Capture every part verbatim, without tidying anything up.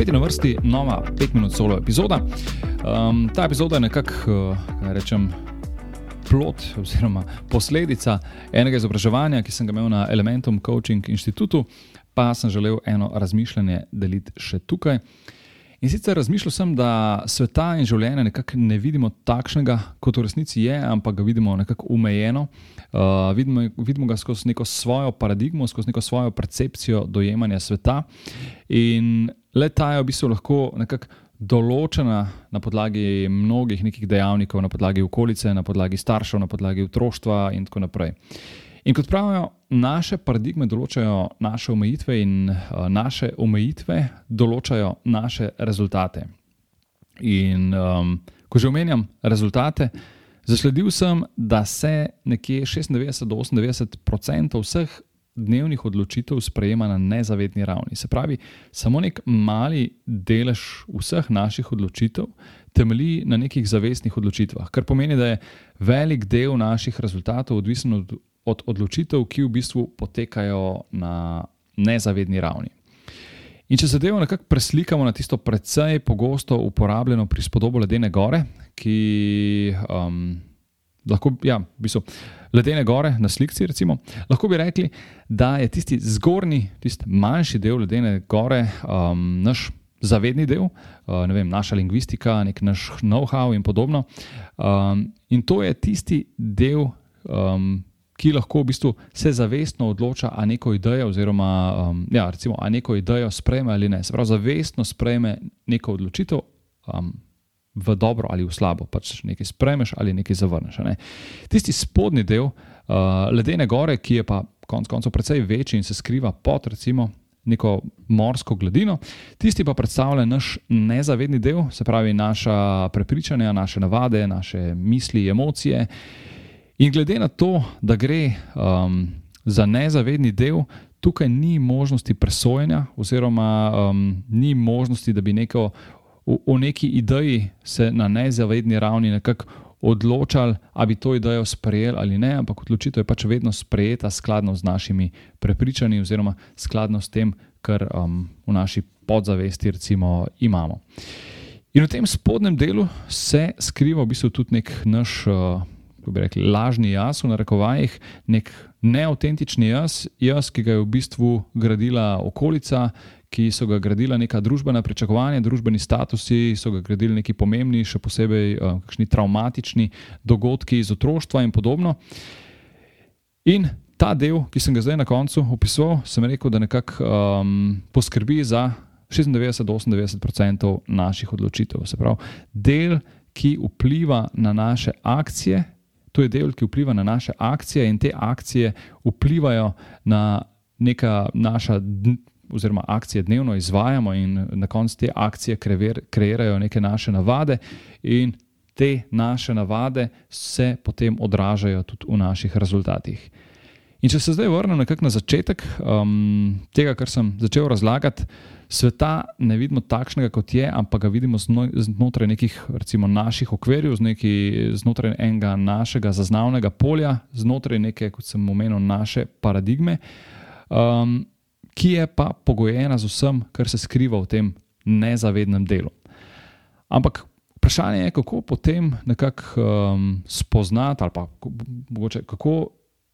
Spet je na vrsti nova pet minut solo epizoda. Um, ta epizoda je nekako, kaj rečem, plod oziroma posledica enega izobraževanja, ki sem ga imel na Elementum Coaching Inštitutu, pa sem želel eno razmišljanje deliti še tukaj. In sicer razmišljal sem, da sveta in življenja nekako ne vidimo takšnega, kot v resnici je, ampak ga vidimo nekako omejeno. Uh, vidimo, vidimo ga skozi neko svojo paradigmo, skozi neko svojo percepcijo dojemanja sveta. In le ta je v bistvu lahko nekako določena na podlagi mnogih nekih dejavnikov, na podlagi okolice, na podlagi staršev, na podlagi otroštva in tako naprej. In kot pravijo, naše paradigme določajo naše omejitve in uh, naše omejitve določajo naše rezultate. In um, ko že omenjam rezultate, zasledil sem, da se nekje šestindevetdeset do osemindevetdeset procentov vseh dnevnih odločitev sprejema na nezavedni ravni. Se pravi, samo nek mali delež vseh naših odločitev temelji na nekih zavestnih odločitvah, kar pomeni, da je velik del naših rezultatov odvisen od od odločitev, ki v bistvu potekajo na nezavedni ravni. In če zadevo nekako preslikamo na tisto precej pogosto uporabljeno prispodobo ledene gore, ki um, lahko, ja, v bistvu ledene gore na slikci recimo, lahko bi rekli, da je tisti zgornji, tisti manjši del ledene gore um, naš zavedni del, uh, ne vem, naša lingvistika, nek naš know-how in podobno. Um, in to je tisti del, um, ki lahko v bistvu se zavestno odloča, a neko idejo oziroma, um, ja, recimo, a neko idejo sprejme ali ne. Se pravi, zavestno sprejme neko odločitev um, v dobro ali v slabo. Pač nekaj sprejmeš ali nekaj zavrneš. Ne? Tisti spodnji del uh, ledene gore, ki je pa konec koncev precej večji in se skriva pod recimo neko morsko gladino, tisti pa predstavlja naš nezavedni del, se pravi naša prepričanja, naše navade, naše misli, emocije. In glede na to, da gre um, za nezavedni del, tukaj ni možnosti presojanja oziroma um, ni možnosti, da bi neko, o, o neki ideji se na nezavedni ravni nekako odločali, a bi to idejo sprejeli ali ne, ampak odločitev je pač vedno sprejeta skladno z našimi prepričanji oziroma skladno s tem, kar um, v naši podzavesti recimo imamo. In v tem spodnjem delu se skriva v bistvu tudi nek naš uh, kako bi rekli, lažni jaz v narekovajih, nek neautentični jaz, jaz, ki ga je v bistvu gradila okolica, ki so ga gradila neka družbena pričakovanja, družbeni statusi, so ga gradili neki pomembni, še posebej uh, kakšni travmatični dogodki iz otroštva in podobno. In ta del, ki sem ga zdaj na koncu opisoval, sem rekel, da nekako um, poskrbi za šestindevetdeset do osemindevetdeset procentov naših odločitev. Se pravi, del, ki vpliva na naše akcije, to je del, ki vpliva na naše akcije in te akcije vplivajo na neka naša oziroma akcije dnevno izvajamo in na koncu te akcije kreirajo neke naše navade in te naše navade se potem odražajo tudi v naših rezultatih. In če se zdaj vrnem nekako na začetek um, tega, kar sem začel razlagati, sveta ne vidimo takšnega, kot je, ampak ga vidimo znotraj nekih recimo naših okvirjev, znotraj enega našega zaznavnega polja, znotraj neke, kot sem omenil, naše paradigme, um, ki je pa pogojena z vsem, kar se skriva v tem nezavednem delu. Ampak vprašanje je, kako potem nekako um, spoznati ali pa mogoče kako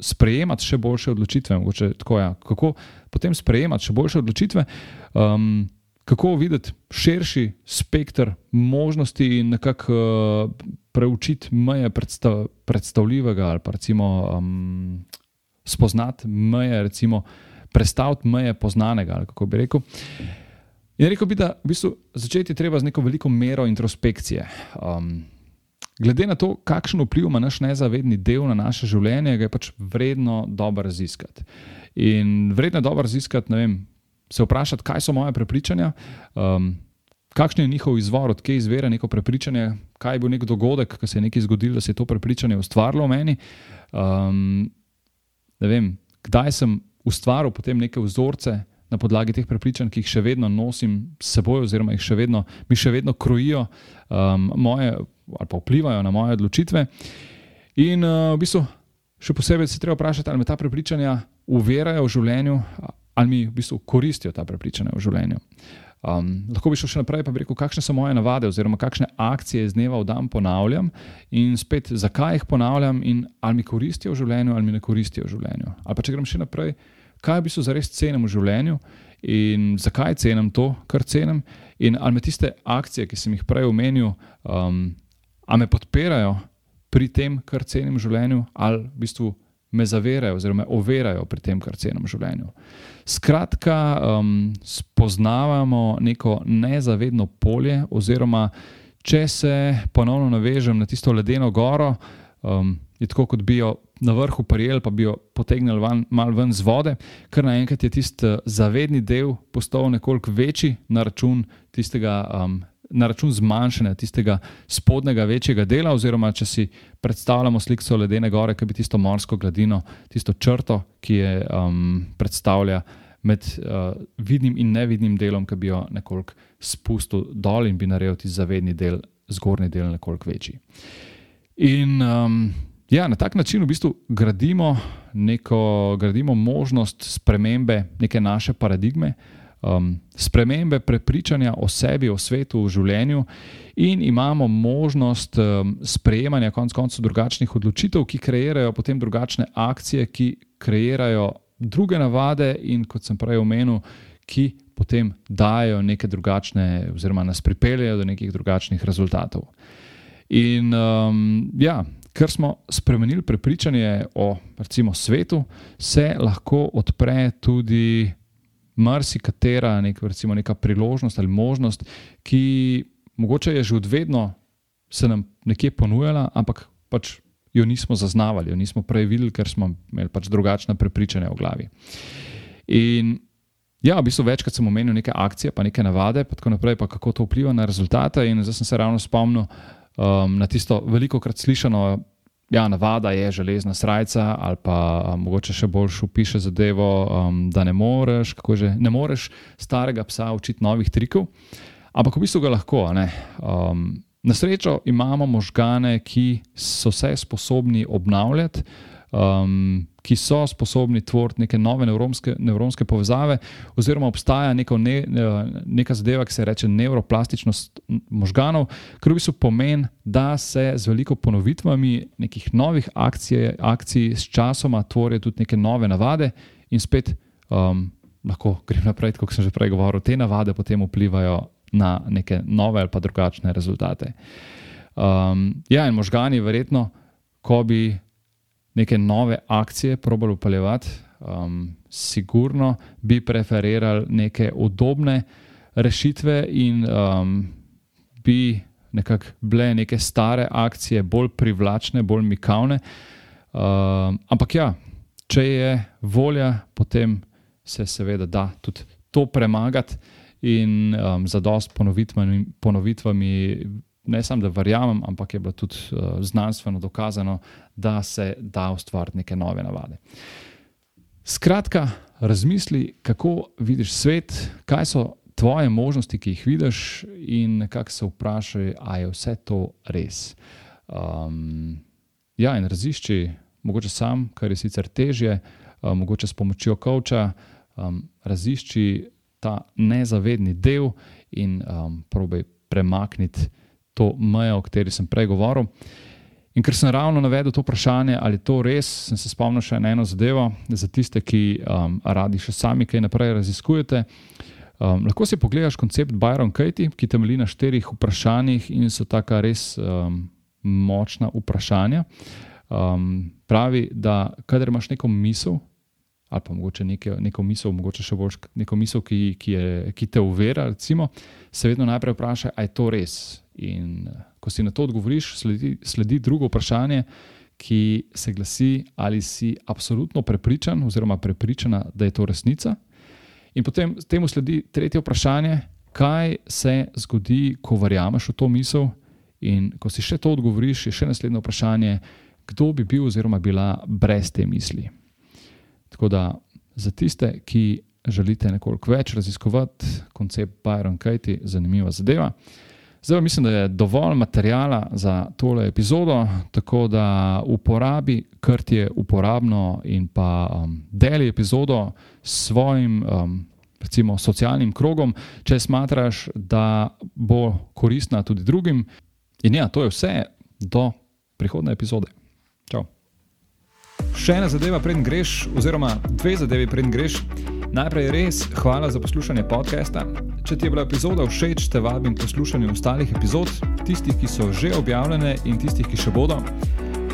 sprejemati še boljše odločitve, mogoče tako ja, kako potem sprejemati še boljše odločitve, um, kako videti širši spekter možnosti in nekako uh, preučiti meje predstav, predstavljivega ali pa recimo um, spoznati meje, recimo prestaviti meje poznanega, ali kako bi rekel. In rekel bi, da v bistvu začeti treba z neko veliko mero introspekcije. Um, Glede na to, kakšen vpliv ima naš nezavedni del na naše življenje, ga je pač vredno dobro raziskati. In vredno je dobro raziskati, ne vem, se vprašati, kaj so moje prepričanja, um, kakšen je njihov izvor, odkje izvira neko prepričanje, kaj je bil nek dogodek, ko se je nekaj zgodilo, da se je to prepričanje ustvarilo v meni. Um, ne vem, kdaj sem ustvaril potem neke vzorce na podlagi teh prepričanj, ki jih še vedno nosim s seboj oziroma jih še vedno, mi še vedno krojijo um, moje ali pa vplivajo na moje odločitve. In uh, v bistvu še posebej se treba vprašati, ali me ta prepričanja uverajo v življenju, ali mi v bistvu koristijo ta prepričanja v življenju. Um, lahko bi šel še naprej, pa bi rekel, kakšne so moje navade oziroma kakšne akcije iz dneva v dan ponavljam in spet, zakaj jih ponavljam in ali mi koristijo v življenju ali mi ne koristijo v življenju. Ali pa če grem še naprej, kaj v bistvu zares cenim v življenju in zakaj cenim to, kar cenim in ali me tiste akcije, ki sem jih prej omenil, um, ali me podpirajo pri tem, kar cenim v življenju, ali v bistvu me zaverajo oziroma me overajo pri tem, kar cenim v življenju. Skratka, um, spoznavamo neko nezavedno polje oziroma če se ponovno navežem na tisto ledeno goro, um, je tako, kot bi jo na vrhu prijeli, pa bi jo potegnili van, malo ven z vode, ker naenkrat je tisti zavedni del postal nekoliko večji na račun tistega um, na račun zmanjšanja tistega spodnjega večjega dela, oziroma če si predstavljamo sliko ledene gore, ki bi tisto morsko gladino, tisto črto, ki je um, predstavlja med uh, vidnim in nevidnim delom, ki bi jo nekoliko spustil dol in bi naredil tisti zavedni del, zgornji del nekoliko večji. In um, ja, na tak način v bistvu gradimo, neko, gradimo možnost spremembe neke naše paradigme, Um, spremembe prepričanja o sebi, o svetu, o življenju in imamo možnost um, sprejemanja konec koncev drugačnih odločitev, ki kreirajo potem drugačne akcije, ki kreirajo druge navade in, kot sem prej omenil, ki potem dajo neke drugačne oziroma nas pripeljejo do nekih drugačnih rezultatov. In um, ja, ker smo spremenili prepričanje o recimo svetu, se lahko odpre tudi marsikatera nek, recimo neka priložnost ali možnost, ki mogoče je že od vedno se nam nekje ponujala, ampak pač jo nismo zaznavali, jo nismo prej videli, ker smo imeli pač drugačna prepričanja v glavi. In ja, v bistvu večkrat sem omenil neke akcije, pa neke navade, pa tako naprej, pa kako to vpliva na rezultate in zdaj sem se ravno spomnil um, na tisto velikokrat slišano, ja, navada je železna srajca ali pa um, mogoče še boljš opiše zadevo, um, da ne moreš, kako že, ne moreš starega psa učiti novih trikov, ampak v bistvu ga lahko. Ne? Um, na srečo imamo možgane, ki so se sposobni obnavljati, um, ki so sposobni tvoriti neke nove nevronske, nevronske povezave oziroma obstaja neko ne, neka zadeva, ki se reče nevroplastičnost možganov, kar v bistvu pomeni, da se z veliko ponovitvami nekih novih akcij, akcij s časoma tvorijo tudi neke nove navade in spet um, lahko grem naprej, kot sem že prej govoril, te navade potem vplivajo na neke nove ali pa drugačne rezultate. Um, ja, in možgani verjetno, ko bi neke nove akcije probali upeljevati, um, sigurno bi preferirali neke udobne rešitve in um, bi nekako bile neke stare akcije bolj privlačne, bolj mikavne. Um, ampak ja, če je volja, potem se seveda da tudi to premagati in um, zadosti ponovitvami, ponovitvami ne samo, da verjamem, ampak je bilo tudi uh, znanstveno dokazano, da se da ustvariti neke nove navade. Skratka, razmisli, kako vidiš svet, kaj so tvoje možnosti, ki jih vidiš in nekako se vprašaj, a je vse to res. Um, ja, in razišči, mogoče sam, kar je sicer težje, um, mogoče s pomočjo coacha, um, razišči ta nezavedni del in um, probaj premakniti to mejo, o kateri sem prej govoril. In ker sem ravno navedel to vprašanje, ali to res, sem se spomnil še na eno zadevo, za tiste, ki um, radi še sami kaj naprej raziskujete. Um, lahko si pogledaš koncept Byron Katie, ki temelji na štirih vprašanjih in so taka res um, močna vprašanja. Um, pravi, da kadar imaš neko misel, ali pa mogoče neke, neko misel, mogoče še bolj neko misel, ki, ki, je, ki te uvera, recimo, se vedno najprej vprašaj, a je to res. In ko si na to odgovoriš, sledi, sledi drugo vprašanje, ki se glasi, ali si absolutno prepričan oziroma prepričana, da je to resnica. In potem temu sledi tretje vprašanje, kaj se zgodi, ko verjameš v to misel. In ko si še to odgovoriš, je še naslednje vprašanje, kdo bi bil oziroma bila brez te misli. Tako da za tiste, ki želite nekoliko več raziskovati koncept Byron Katie, zanimiva zadeva. Zdaj mislim, da je dovolj materijala za tole epizodo, tako da uporabi, kar ti je uporabno in pa um, deli epizodo s svojim um, recimo socialnim krogom, če smatraš, da bo koristna tudi drugim. In ja, to je vse do prihodne epizode. Čau. Še ena zadeva, preden greš, oziroma dve zadevi, preden greš. Najprej res hvala za poslušanje podcasta. Če ti je bila epizoda všeč, te vabim k poslušanju ostalih epizod, tistih, ki so že objavljene in tistih, ki še bodo.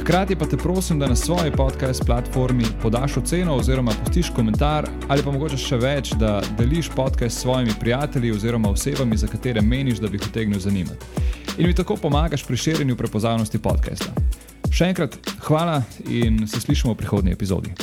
Hkrati pa te prosim, da na svoji podcast platformi podaš oceno oziroma pustiš komentar ali pa mogoče še več, da deliš podcast s svojimi prijatelji oziroma osebami, za katere meniš, da bi jih utegnil zanimati. In mi tako pomagaš pri širjenju prepoznavnosti podcasta. Še enkrat hvala in se slišimo v prihodnji epizodi.